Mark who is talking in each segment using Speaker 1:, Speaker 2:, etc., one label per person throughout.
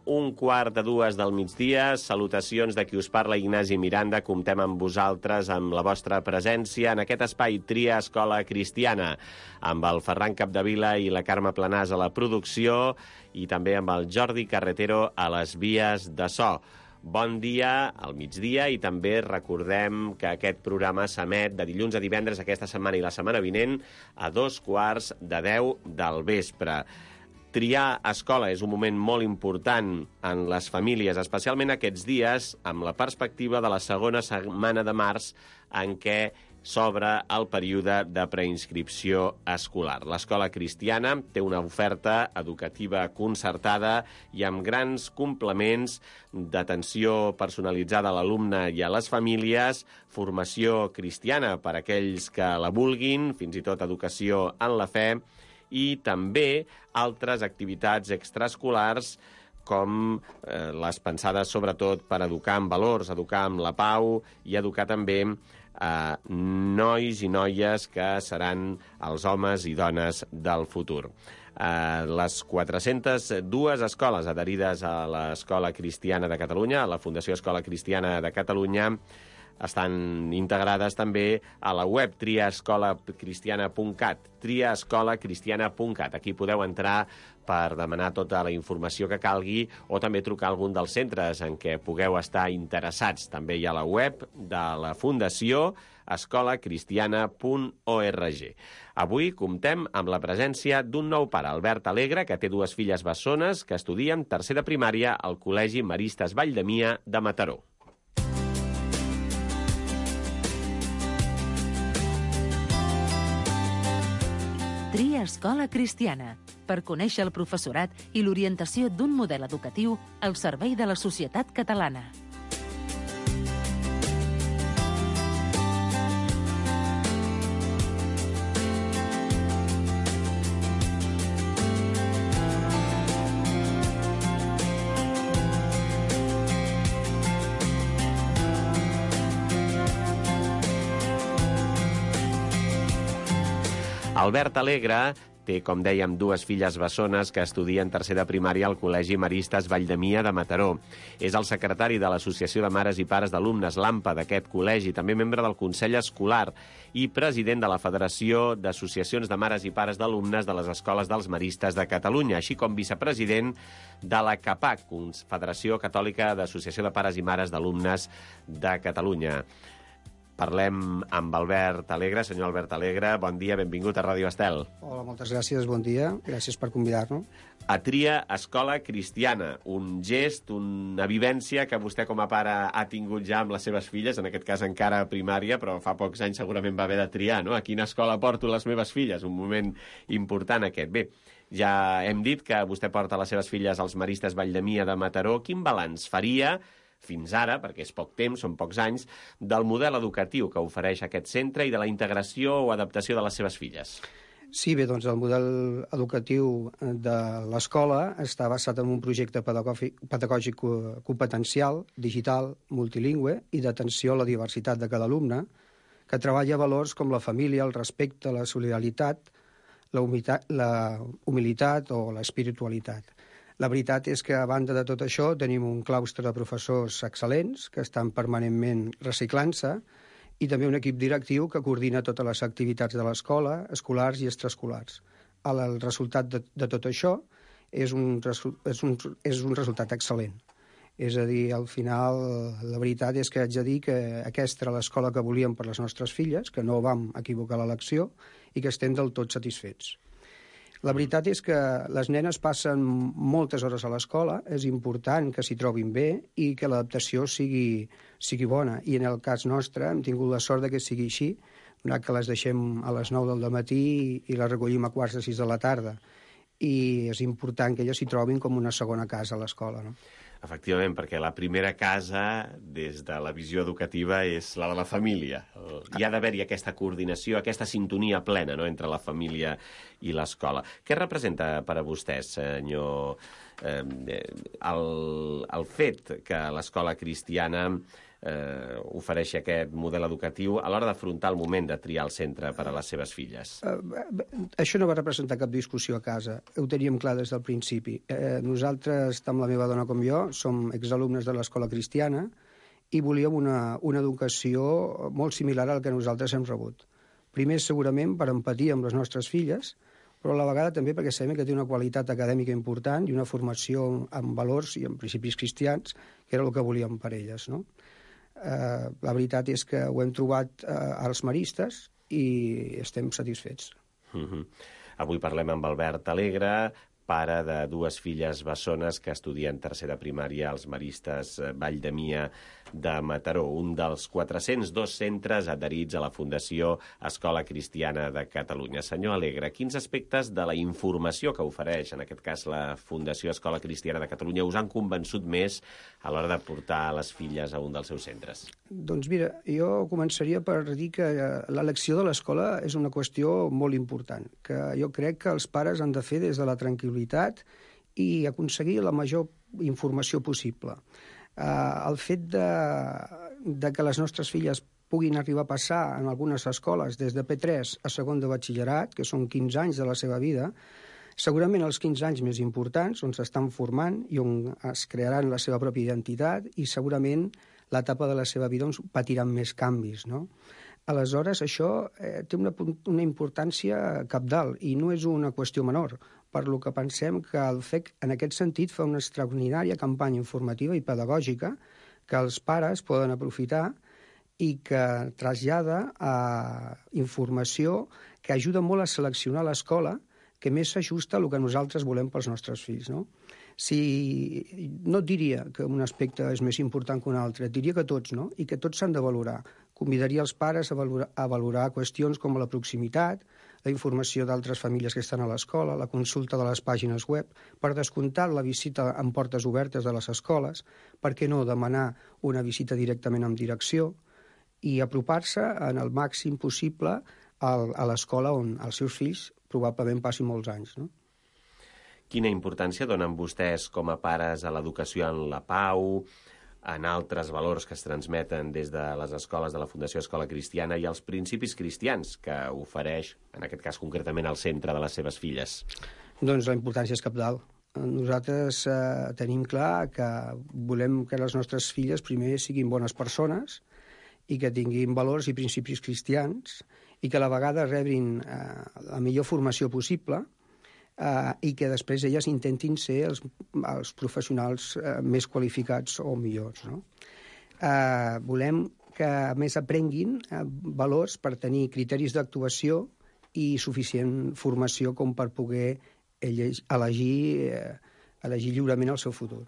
Speaker 1: 1:15 del migdia. Salutacions de qui us parla, Ignasi Miranda. Comptem amb vosaltres, amb la vostra presència en aquest espai Tria Escola Cristiana, amb el Ferran Capdevila i la Carme Planàs a la producció i també amb el Jordi Carretero a les vies de so. Bon dia al migdia i també recordem que aquest programa s'emet de dilluns a divendres aquesta setmana i la setmana vinent a 9:45 del vespre. Triar escola és un moment molt important en les famílies, especialment aquests dies, amb la perspectiva de la segona setmana de març en què s'obre el període de preinscripció escolar. L'escola cristiana té una oferta educativa concertada i amb grans complements d'atenció personalitzada a l'alumne i a les famílies, formació cristiana per a aquells que la vulguin, fins i tot educació en la fe, i també altres activitats extraescolars com les pensades sobretot per educar en valors, educar en la pau i educar també nois i noies que seran els homes i dones del futur. Les 402 escoles adherides a l'Escola Cristiana de Catalunya, a la Fundació Escola Cristiana de Catalunya, estan integrades també a la web triaescolacristiana.cat, triaescolacristiana.cat. Aquí podeu entrar per demanar tota la informació que calgui o també trucar a algun dels centres en què pugueu estar interessats. També hi ha la web de la Fundació escolacristiana.org. Avui comptem amb la presència d'un nou pare, Albert Alegre, que té dues filles bessones que estudien tercer de primària al Col·legi Maristes Valldemia de Mataró.
Speaker 2: Tria Escola Cristiana, per conèixer el professorat i l'orientació d'un model educatiu al servei de la societat catalana.
Speaker 1: Albert Alegre té, com dèiem, dues filles bessones que estudien tercer de primària al Col·legi Maristes Valldemia de Mataró. És el secretari de l'Associació de Mares i Pares d'Alumnes, l'AMPA, d'aquest col·legi, també membre del Consell Escolar i president de la Federació d'Associacions de Mares i Pares d'Alumnes de les Escoles dels Maristes de Catalunya, així com vicepresident de la CAPAC, Federació Catòlica d'Associació de Pares i Mares d'Alumnes de Catalunya. Parlem amb Albert Alegre. Senyor Albert Alegre, bon dia, benvingut a Ràdio Estel.
Speaker 3: Hola, moltes gràcies, bon dia. Gràcies per convidar-nos.
Speaker 1: A Tria Escola Cristiana, un gest, una vivència que vostè com a pare ha tingut ja amb les seves filles, en aquest cas encara a primària, però fa pocs anys segurament va haver de triar, no? A quina escola porto les meves filles? Un moment important aquest. Bé, ja hem dit que vostè porta les seves filles als Maristes Valldemia de Mataró. Quin balanç faria fins ara, perquè és poc temps, són pocs anys, del model educatiu que ofereix aquest centre i de la integració o adaptació de les seves filles?
Speaker 3: Sí, bé, doncs el model educatiu de l'escola està basat en un projecte pedagògic competencial, digital, multilingüe i d'atenció a la diversitat de cada alumne, que treballa valors com la família, el respecte, la solidaritat, la humilitat o l'espiritualitat. La veritat és que, a banda de tot això, tenim un claustre de professors excel·lents que estan permanentment reciclant-se i també un equip directiu que coordina totes les activitats de l'escola, escolars i extraescolars. El resultat de tot això és un resultat excel·lent. És a dir, al final, la veritat és que haig de dir que aquesta era l'escola que volíem per les nostres filles, que no vam equivocar l'elecció i que estem del tot satisfets. La veritat és que les nenes passen moltes hores a l'escola, és important que s'hi trobin bé i que l'adaptació sigui bona. I en el cas nostre hem tingut la sort que sigui així, donat que les deixem a les 9 del matí i les recollim a 5:45 de la tarda. I és important que elles s'hi trobin com una segona casa a l'escola, no?
Speaker 1: Efectivament, perquè la primera casa, des de la visió educativa, és la de la família. Hi ha d'haver-hi aquesta coordinació, aquesta sintonia plena, no?, entre la família i l'escola. Què representa per a vostè, senyor, el fet que l'escola cristiana ofereixi aquest model educatiu a l'hora d'afrontar el moment de triar el centre per a les seves filles?
Speaker 3: Això no va representar cap discussió a casa. Ho teníem clar des del principi. Nosaltres, tant la meva dona com jo, som exalumnes de l'escola cristiana i volíem una educació molt similar al que nosaltres hem rebut. Primer, segurament, per empatia amb les nostres filles, però a la vegada també perquè sabem que té una qualitat acadèmica important i una formació en valors i en principis cristians, que era el que volíem per elles, no? La veritat és que ho hem trobat als maristes i estem satisfets.
Speaker 1: Avui parlem amb Albert Alegre, pare de dues filles bessones que estudien tercer de primària als Maristes Vall de Mia de Mataró, un dels 402 centres adherits a la Fundació Escola Cristiana de Catalunya. Senyor Alegre, quins aspectes de la informació que ofereix, en aquest cas la Fundació Escola Cristiana de Catalunya, us han convençut més a l'hora de portar les filles a un dels seus centres?
Speaker 3: Doncs mira, jo començaria per dir que l'elecció de l'escola és una qüestió molt important, que jo crec que els pares han de fer des de la tranquil·litat i aconseguir la major informació possible. El fet de que les nostres filles puguin arribar a passar en algunes escoles des de P3 a segon de batxillerat, que són 15 anys de la seva vida, segurament els 15 anys més importants, on s'estan formant i on es crearan la seva pròpia identitat i segurament l'etapa de la seva vida on patiran més canvis, no? Aleshores, això té una importància cabdal i no és una qüestió menor, per lo que pensem que el FEC, en aquest sentit, fa una extraordinària campanya informativa i pedagògica que els pares poden aprofitar i que trasllada informació que ajuda molt a seleccionar l'escola que més s'ajusta a el que nosaltres volem pels nostres fills, no? No et diria que un aspecte és més important que un altre, et diria que tots, no? I que tots s'han de valorar. Convidaria els pares a valorar qüestions com la proximitat, la informació d'altres famílies que estan a l'escola, la consulta de les pàgines web, per descomptat la visita amb portes obertes de les escoles, per què no demanar una visita directament amb direcció i apropar-se en el màxim possible a l'escola on els seus fills probablement passin molts anys, no?
Speaker 1: Quina importància donen vostès com a pares a l'educació en la pau, en altres valors que es transmeten des de les escoles de la Fundació Escola Cristiana i els principis cristians que ofereix, en aquest cas concretament, al centre de les seves filles?
Speaker 3: Doncs la importància és cabdal. Nosaltres tenim clar que volem que les nostres filles primer siguin bones persones i que tinguin valors i principis cristians i que a la vegada rebin la millor formació possible i que després elles intentin ser els professionals més qualificats o millors, no? Volem que, a més, aprenguin valors per tenir criteris d'actuació i suficient formació com per poder elegir lliurement el seu futur.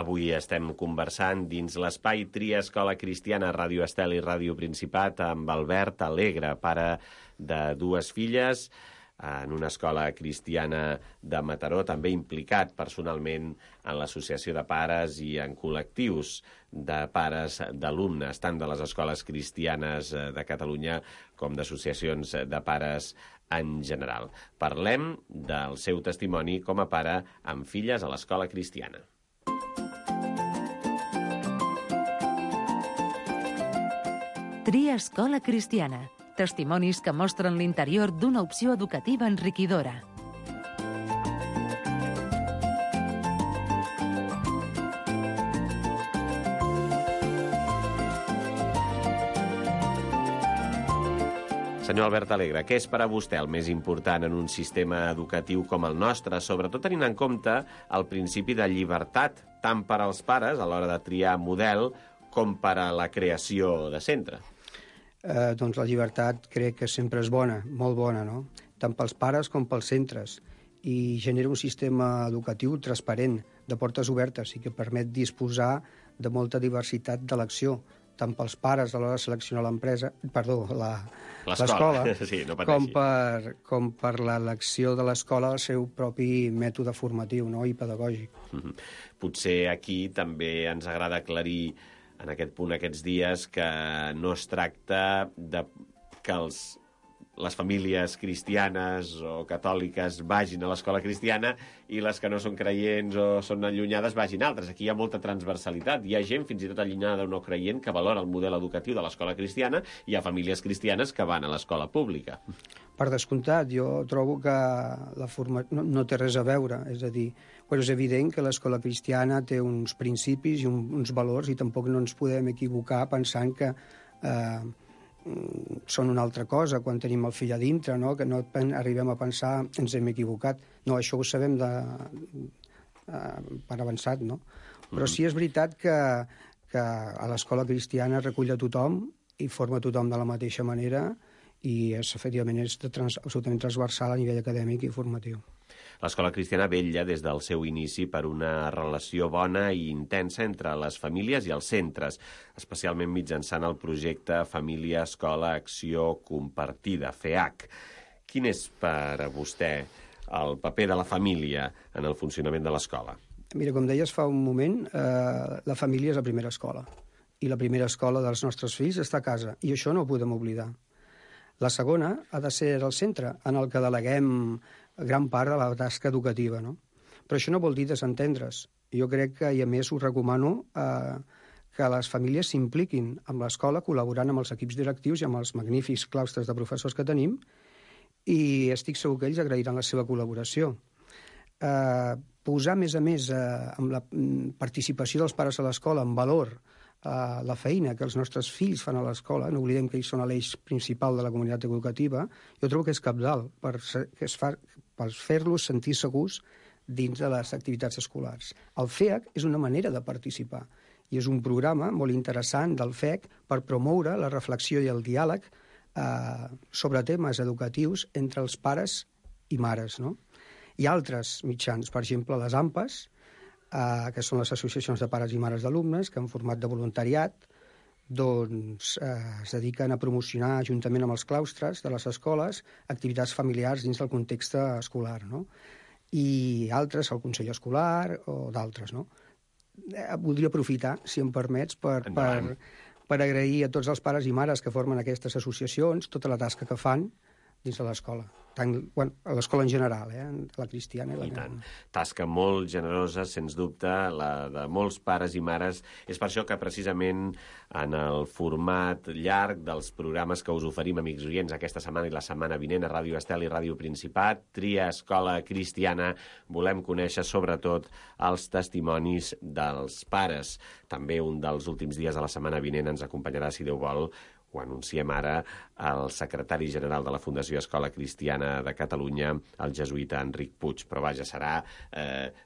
Speaker 1: Avui estem conversant dins l'espai Tria Escola Cristiana, Ràdio Estel i Ràdio Principat, amb Albert Alegre, pare de dues filles, en una escola cristiana de Mataró, també implicat personalment en l'associació de pares i en col·lectius de pares d'alumnes, tant de les escoles cristianes de Catalunya com d'associacions de pares en general. Parlem del seu testimoni com a pare amb filles a l'escola cristiana.
Speaker 2: Tria Escola Cristiana. Testimonis que mostren l'interior d'una opció educativa enriquidora.
Speaker 1: Senyor Albert Alegre, què és per a vostè el més important en un sistema educatiu com el nostre, sobretot tenint en compte el principi de llibertat, tant per als pares a l'hora de triar model com per a la creació de centre?
Speaker 3: Doncs la llibertat crec que sempre és bona, molt bona, no? Tant pels pares com pels centres. I genera un sistema educatiu transparent, de portes obertes, i que permet disposar de molta diversitat d'elecció, tant pels pares a l'hora de seleccionar l'escola,
Speaker 1: sí, no
Speaker 3: com per l'elecció de l'escola al seu propi mètode formatiu, no? I pedagògic.
Speaker 1: Potser aquí també ens agrada aclarir en aquest punt, aquests dies, que no es tracta de que les famílies cristianes o catòliques vagin a l'escola cristiana i les que no són creients o són allunyades vagin a altres. Aquí hi ha molta transversalitat. Hi ha gent, fins i tot allunyada o no creient, que valora el model educatiu de l'escola cristiana, i hi ha famílies cristianes que van a l'escola pública.
Speaker 3: Per descomptat, jo trobo que la no té res a veure, és a dir, però és evident que l'escola cristiana té uns principis i uns valors i tampoc no ens podem equivocar pensant que són una altra cosa quan tenim el fill a dintre, no? Que no arribem a pensar ens hem equivocat. No, això ho sabem per avançat, no? Però sí és veritat que a l'escola cristiana recull a tothom i forma tothom de la mateixa manera i efectivament és absolutament transversal a nivell acadèmic i formatiu.
Speaker 1: L'escola cristiana vetlla des del seu inici per una relació bona i intensa entre les famílies i els centres, especialment mitjançant el projecte Família Escola Acció Compartida, FEAC. Quin és per a vostè el paper de la família en el funcionament de l'escola?
Speaker 3: Mira, com deies fa un moment, la família és la primera escola. I la primera escola dels nostres fills està a casa, i això no ho podem oblidar. La segona ha de ser el centre en el que deleguem gran part de la tasca educativa, no? Però això no vol dir desentendre's. Jo crec que, i a més, us recomano que les famílies s'impliquin amb l'escola, col·laborant amb els equips directius i amb els magnífics claustres de professors que tenim, i estic segur que ells agrairan la seva col·laboració. Posar, a més, amb la participació dels pares a l'escola en valor la feina que els nostres fills fan a l'escola, no oblidem que ells són l'eix principal de la comunitat educativa, jo trobo que és cabdal per fer-los sentir segurs dins de les activitats escolars. El FEAC és una manera de participar i és un programa molt interessant del FEC per promoure la reflexió i el diàleg sobre temes educatius entre els pares i mares, no? Hi ha altres mitjans, per exemple, les AMPAs, que són les associacions de pares i mares d'alumnes, que en format de voluntariat doncs, es dediquen a promocionar, juntament amb els claustres de les escoles, activitats familiars dins del context escolar, no? I altres, el Consell Escolar o d'altres, no? Voldria aprofitar, si em permets, per agrair a tots els pares i mares que formen aquestes associacions tota la tasca que fan dins de l'escola. A l'escola en general, la cristiana.
Speaker 1: I tant. Tasca molt generosa, sens dubte, la de molts pares i mares. És per això que precisament en el format llarg dels programes que us oferim, amics oients, aquesta setmana i la setmana vinent a Ràdio Estel i Ràdio Principat, Tria Escola Cristiana, volem conèixer sobretot els testimonis dels pares. També un dels últims dies de la setmana vinent ens acompanyarà, si Déu vol, ho anunciem ara, el secretari general de la Fundació Escola Cristiana de Catalunya, el jesuïta Enric Puig. Però vaja, serà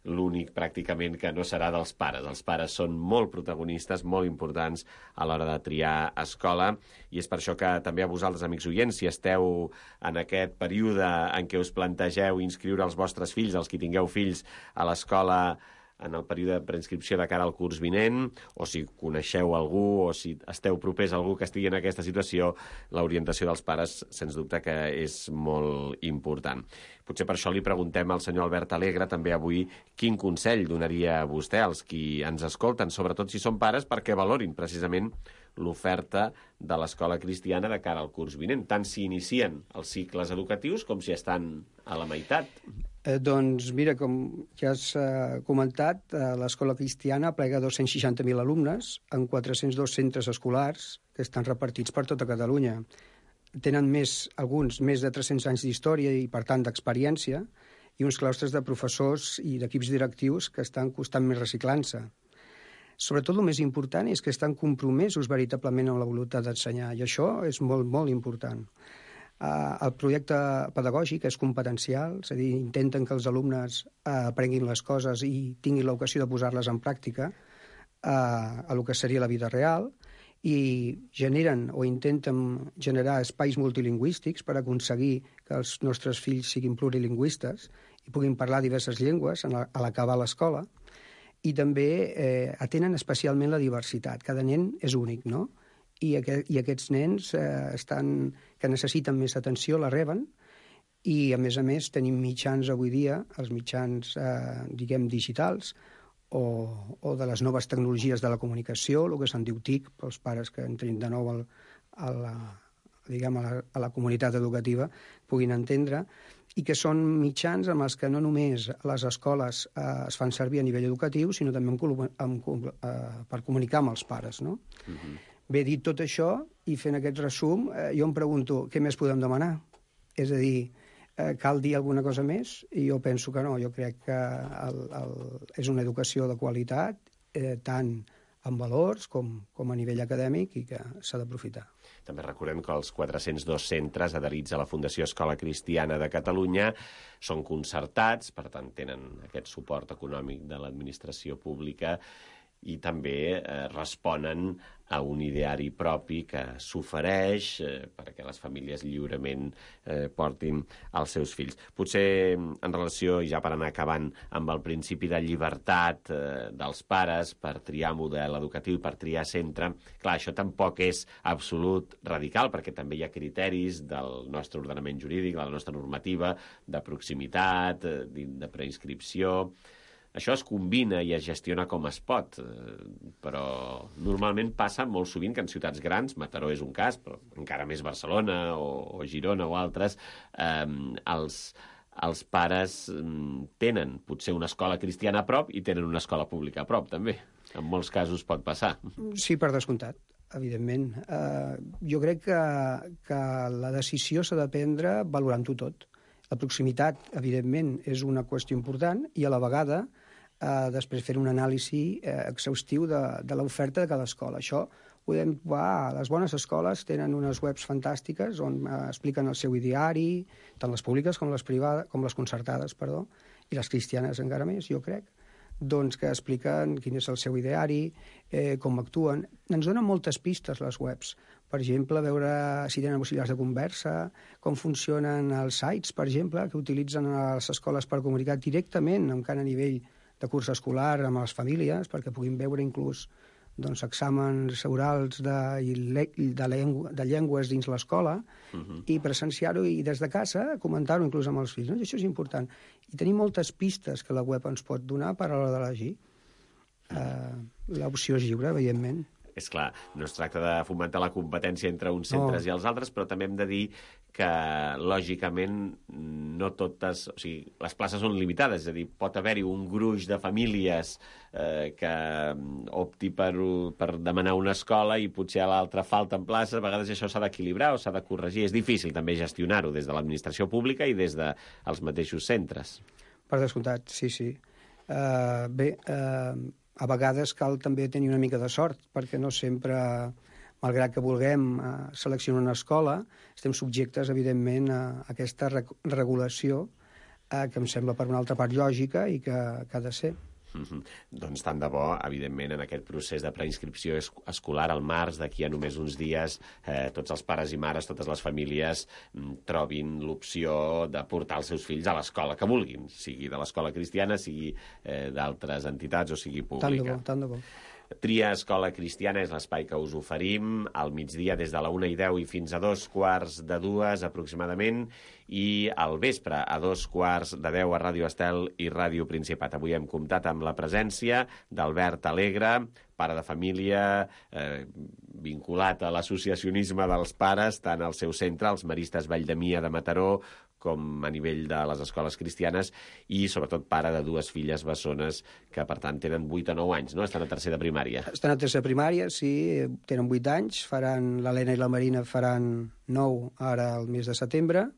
Speaker 1: l'únic pràcticament que no serà dels pares. Els pares són molt protagonistes, molt importants a l'hora de triar escola, i és per això que també a vosaltres, amics oients, si esteu en aquest període en què us plantegeu inscriure els vostres fills, els que tingueu fills a l'escola en el període de preinscripció de cara al curs vinent, o si coneixeu algú o si esteu propers a algú que estigui en aquesta situació, l'orientació dels pares, sens dubte que és molt important. Potser per això li preguntem al senyor Albert Alegre també avui quin consell donaria a vostè als qui ens escolten, sobretot si són pares, perquè valorin precisament l'oferta de l'escola cristiana de cara al curs vinent, tant si inicien els cicles educatius com si estan a la meitat.
Speaker 3: Doncs mira, com ja has comentat, l'escola cristiana aplega 260.000 alumnes en 402 centres escolars que estan repartits per tota Catalunya. Tenen alguns més de 300 anys d'història i, per tant, d'experiència, i uns claustres de professors i d'equips directius que estan constantment reciclant-se. Sobretot el més important és que estan compromesos veritablement amb la voluntat d'ensenyar, i això és molt, molt important. El projecte pedagògic és competencial, és a dir, intenten que els alumnes aprenguin les coses i tinguin l'ocasió de posar-les en pràctica a el que seria la vida real, i generen o intenten generar espais multilingüístics per aconseguir que els nostres fills siguin plurilingüistes i puguin parlar diverses llengües a l'acabar l'escola, i també atenen especialment la diversitat. Cada nen és únic, no? I aquests nens que necessiten més atenció la reben, i a més tenim mitjans avui dia, els mitjans diguem digitals o de les noves tecnologies de la comunicació, el que se'n diu TIC, pels pares que entrin de nou diguem, a la comunitat educativa puguin entendre, i que són mitjans amb els que no només les escoles es fan servir a nivell educatiu, sinó també per comunicar amb els pares, no? Bé, dit tot això, i fent aquest resum, jo em pregunto, què més podem demanar? És a dir, cal dir alguna cosa més? I jo penso que no, jo crec que és una educació de qualitat, tant en valors com a nivell acadèmic, i que s'ha d'aprofitar.
Speaker 1: També recordem que els 402 centres adherits a la Fundació Escola Cristiana de Catalunya són concertats, per tant tenen aquest suport econòmic de l'administració pública i també responen a un ideari propi que s'ofereix perquè les famílies lliurement portin els seus fills. Potser en relació, i ja per anar acabant, amb el principi de llibertat dels pares per triar model educatiu, per triar centre, clar, això tampoc és absolut radical, perquè també hi ha criteris del nostre ordenament jurídic, de la nostra normativa, de proximitat, de preinscripció. Això es combina i es gestiona com es pot, però normalment passa molt sovint que en ciutats grans, Mataró és un cas, però encara més Barcelona o Girona o altres, els pares tenen potser una escola cristiana a prop i tenen una escola pública a prop, també. En molts casos pot passar.
Speaker 3: Sí, per descomptat, evidentment. Jo crec que la decisió s'ha de prendre valorant-ho tot. La proximitat, evidentment, és una qüestió important i a la vegada després fer un anàlisi exhaustiu de l'oferta de cada escola. Això ho podem trobar. Les bones escoles tenen unes webs fantàstiques on expliquen el seu ideari, tant les públiques com les privades, com les concertades, perdó, i les cristianes encara més, jo crec, doncs que expliquen quin és el seu ideari, com actuen. Ens donen moltes pistes les webs. Per exemple, veure si tenen auxiliars de conversa, com funcionen els sites, per exemple, que utilitzen a les escoles per comunicar directament amb cada nivell de curs escolar amb les famílies, perquè puguin veure inclús exàmens orals de llengües dins l'escola i presenciar-ho i des de casa comentar-ho inclús amb els fills. I això és important. I tenim moltes pistes que la web ens pot donar per a l'hora d'elegir. L'opció és lliure, evidentment.
Speaker 1: És clar, no es tracta de fomentar la competència entre uns centres i els altres, però també hem de dir que, lògicament, no totes... O sigui, les places són limitades, és a dir, pot haver-hi un gruix de famílies que opti per demanar una escola i potser a l'altra falten places. A vegades això s'ha d'equilibrar o s'ha de corregir. És difícil també gestionar-ho des de l'administració pública i des dels mateixos centres.
Speaker 3: Per descomptat, sí. A vegades cal també tenir una mica de sort, perquè no sempre, malgrat que vulguem seleccionar una escola, estem subjectes, evidentment, a aquesta regulació que em sembla, per una altra part, lògica i que ha de ser.
Speaker 1: Doncs tant de bo, evidentment, en aquest procés de preinscripció escolar al març, d'aquí a només uns dies, tots els pares i mares, totes les famílies trobin l'opció de portar els seus fills a l'escola que vulguin, sigui de l'escola cristiana, sigui d'altres entitats o sigui pública.
Speaker 3: Tant de bo.
Speaker 1: Tria Escola Cristiana és l'espai que us oferim al migdia des de la 1:10 i fins a 2:45 aproximadament, i al vespre a 2:10 a Ràdio Estel i Ràdio Principat. Avui hem comptat amb la presència d'Albert Alegre, pare de família, vinculat a l'associacionisme dels pares, tant al seu centre, els Maristes Valldemia de Mataró, com a nivell de les escoles cristianes, i sobretot pare de dues filles bessones que, per tant, tenen 8 o 9 anys, no? Estan a tercer de primària.
Speaker 3: Estan a tercer de primària, sí, tenen 8 anys, l'Helena i la Marina faran 9 ara al mes de setembre,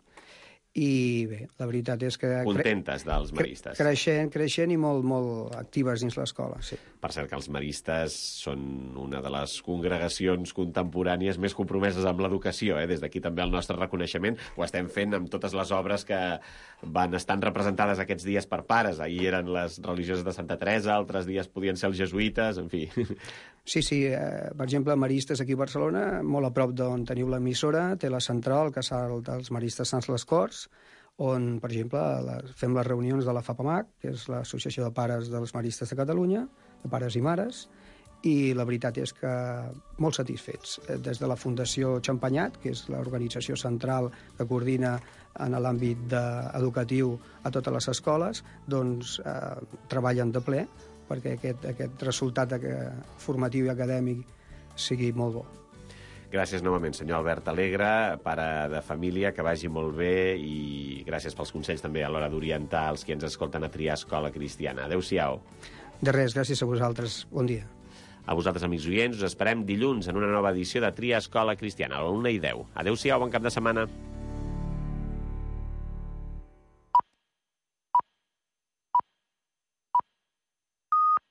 Speaker 3: i bé, la veritat és que...
Speaker 1: Contentes dels maristes.
Speaker 3: Creixent i molt actives dins l'escola, sí.
Speaker 1: Per cert que els maristes són una de les congregacions contemporànies més compromeses amb l'educació, des d'aquí també el nostre reconeixement. Ho estem fent amb totes les obres que van estar representades aquests dies per pares. Ahir eren les religioses de Santa Teresa, altres dies podien ser els jesuïtes, en fi.
Speaker 3: Sí, per exemple, Maristes aquí a Barcelona, molt a prop d'on teniu l'emissora, té la central, el casal dels Maristes Sants les Corts, on, per exemple, fem les reunions de la FAPAMAC, que és l'Associació de Pares dels Maristes de Catalunya, de pares i mares, i la veritat és que molt satisfets. Des de la Fundació Xampanyat, que és l'organització central que coordina en l'àmbit educatiu a totes les escoles, doncs treballen de ple perquè aquest resultat formatiu i acadèmic sigui molt bo.
Speaker 1: Gràcies novament, senyor Albert Alegre, pare de família, que vagi molt bé i gràcies pels consells també a l'hora d'orientar els que ens escolten a triar escola cristiana. Adéu-siau.
Speaker 3: De res, gràcies a vosaltres. Bon dia.
Speaker 1: A vosaltres, amics oients, us esperem dilluns en una nova edició de Tria Escola Cristiana, a la 1:10. Adéu-siau, bon cap de setmana.